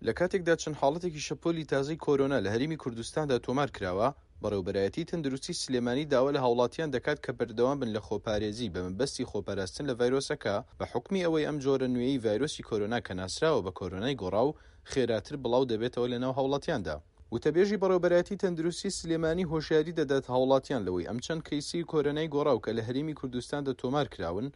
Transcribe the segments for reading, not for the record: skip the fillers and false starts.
لە کاتێکدا چەند حاڵەتێکی شەپۆلی تازەی کۆرۆنا لە هەرێمی کوردستاندا تۆمارکراوە، بەڕێوەبەرایەتی تەندروستی سلێمانی داوا لە هاوڵاتیان دەکات کە بەردەوام بن لە خۆپارێزی بە مەبەستی خۆپاراستن لە ڤایرۆسەکە بە حوکمی ئەوەی ئەم جۆرە نوێیەی ڤایرۆسی کۆرۆنا کە ناسراوە بە کۆرۆنای گۆڕاو خێراتر بڵاو دەبێتەوە لەناو هاوڵاتیاندا. وتەبێژی بەڕێوەبەرایەتی تەندروستی سلێمانی هۆشیاری دەدات هاوڵاتیان لەوەی ئەم چەند کەیسەی کۆرۆنای گۆڕاو کە لە هەرێمی کوردستاندا تۆمارکراون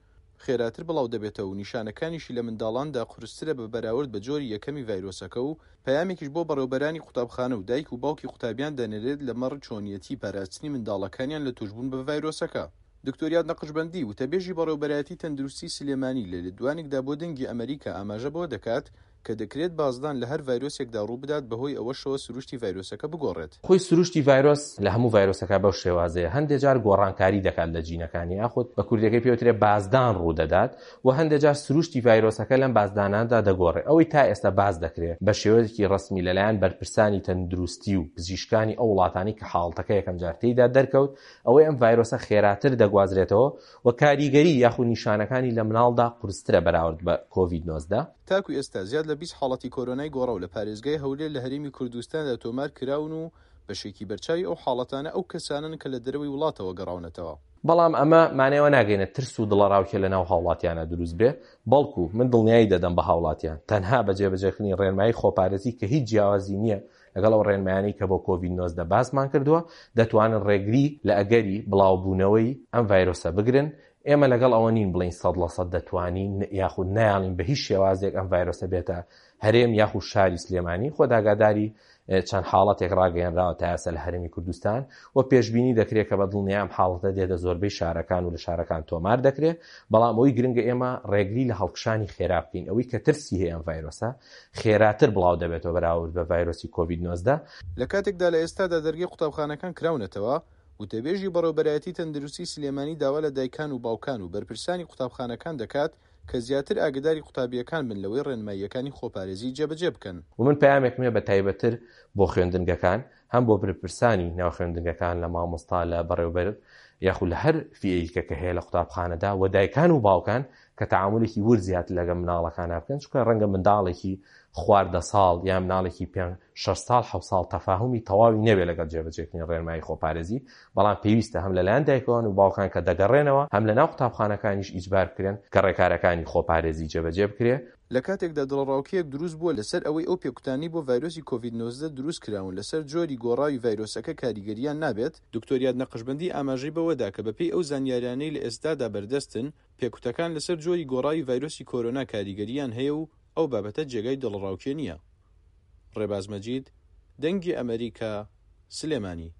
خێراتر بڵاودەبێتەوە و نیشانەکانیشی لە منداڵاندا قورسترە بە بەراورد بە جۆری یەکەمی ڤایرۆسەکە و پەیامێکیش بۆ بەڕێوبەرانی قوتابخانە و دایک و باوکی قوتابیان دەنێرێت لەمەڕ چۆنیەتی پاراستنی منداڵەکانیان لە توشبوون بە ڤایرۆسەکە. دکتۆر یاد نەقشبەندی، وتەبێژی بەڕێوبەرایەتی تەندروستی سلێمانی لە لێدوانێکدا بۆ دەنگی ئەمەریکا ئاماژە بەوە دەکات کە دەکرێت بازدان لە هەر ڤایرۆسێکدا ڕووبدات بەهۆی ئەوەشەوە سروشتی ڤایرۆسەکە بگۆڕێت. خۆی سروشتی ڤایرۆس لە هەموو ڤایرۆسەکە بەو شێوازەیە هەندێ جار گۆڕانکاری دەکات لە جینەکانی یاخود بە کوردیەکەی پێ وترێ بازدان ڕوودەدات و هەندێ جار سروشتی ڤایرۆسەکە لەم بازداناندا دەگۆڕێ ئەوەی تا ئێستا باس دەکرێ بە شێوەیەکی ڕەسمی لەلایەن بەرپرسانی تەندروستی و پزیشکانی ئەو وڵاتانەی کە حاڵەتەکە یەکەم جار تێیدا دەرکەوت ئەوەی ئەم ڤایرۆسە خێراتر دەگوازرێتەوە و کاریگەری یاخود نیشانەکانی لە مناڵدا قورسترە بەراورد بە کۆڤید 19. تاکو ئێستا زیاد لە 20 حاڵەتی کۆرۆنای گۆڕاو لە پارێزگای هەولێر لە هەرێمی کوردستاندا تۆمار کراون و بەشێکی بەرچاوی ئەو حاڵەتانە ئەو کەسانەن کە لە دەرەوەی وڵاتەوە گەڕاونەتەوە. بەڵام ئەمە مانای ئەوە ناگەینێت ترس و دڵەڕاوکێ لەناو هاوڵاتیانا دروست بێ، بەڵکو من دڵنیایی دەدەم بە هاوڵاتیان تەنها بە جێبەجێکردنی ڕێنمایی خۆپارێزی کە هیچ جیاوازی نییە لەگەڵ ئەو ڕێنمایانەی کە بۆ کۆڤید 19 باسمان کردووە، دەتوانن ڕێگری لە ئەگەری بڵاوبوونەوەی ئەم ڤایرۆسە بگرن، ئێمە لەگەڵ ئەوە نین بڵێین 100% دەتوانین یاخود نایەڵین بە هیچ شێوازێک ئەم ڤایرۆسە بێتە هەرێم یاخود شاری سلێمانی، خۆت ئاگاداری چەند حاڵەتێک ڕاگەیەنراوە تا ئێستا لە هەرێمی کوردستان و پێشبینی دەکرێت کە بە دڵنیایی ئەم حاڵەتە دێتە زۆربەی شارەکان و لە شارەکان تۆمار دەکرێت، بەڵام ئەوەی گرنگە ئێمە ڕێگری لە هەڵکشانی خێرا بکەین، ئەوەی کە ترسی هەیە ئەم ڤایرۆسە خێراتر بڵاو دەبێتەوە بەراورد بە ڤایرۆسی کۆڤید 19. لە کاتێکدا لە ئێستادا دەرگەی قوتابخانەکان کراونەتەوە، وتەبێژی بەڕێوبەرایەتی تەندروستی سلێمانی داوا لە دایکان و باوکان و بەرپرسانی قوتابخانەکان دەکات کە زیاتر ئاگەداری قوتابییەکان بن لەوەی ڕێنماییەکانی خۆپارێزی جێبەجێ بکەن. و من پەیامێکم هەیە بە تایبەتر بۆ خوێندنگەکان، هەم بۆ برپرسانی ناو خوێندنگەکان لە مامۆستا لە بەڕێوبەر یاخود لە هەر فیئەیکە کە هەیە لە قوتابخانەدا و دایکان و باوکان کە تەعامولێکی ورد زیاتر لەگەڵ مناڵەکانا بکەن چونکە ڕەنگە منداڵێکی خوار دە ساڵ یان مناڵێکی پێ شەش ساڵ حەوت ساڵ تەفاهومی تەواوی نەبێ لەگەڵ جێبەجێکردنی ڕێنمایی خۆپارێزی بەڵام پێویستە هەم لەلایەن دایکان و باوکان کە دەگەڕێنەوە هەم لەناو قوتابخانەکانیش ئیجبار بکرێن کە ڕێکارەکانی خۆپارێزی جێبەجێ بکرێ. لە کاتێکدا دڵەڕاوکێیەک دروست بووە لەسەر ئەوەی ئەو پێکوتانەی بۆ ڤایرۆسی کۆڤید 19 دروست کراون لەسەر جۆری گۆڕاوی ڤایرۆسەکە کاریگەرییان نابێت، دکتۆر یاد نەقشبەندی ئاماژەی بەوەدا کە بەپێی ئەو زانیاریانەی لە ئێستادا بەردەستن پێکوتەکان لەسەر جۆری گۆڕاوی ڤایرۆسی کۆرۆنا کاریگەرییان هەیە و ئەو بابەتە جێگای دڵەڕاوکێ نییە. ڕێباز مەجید، دەنگی ئەمەریکا، سلێمانی.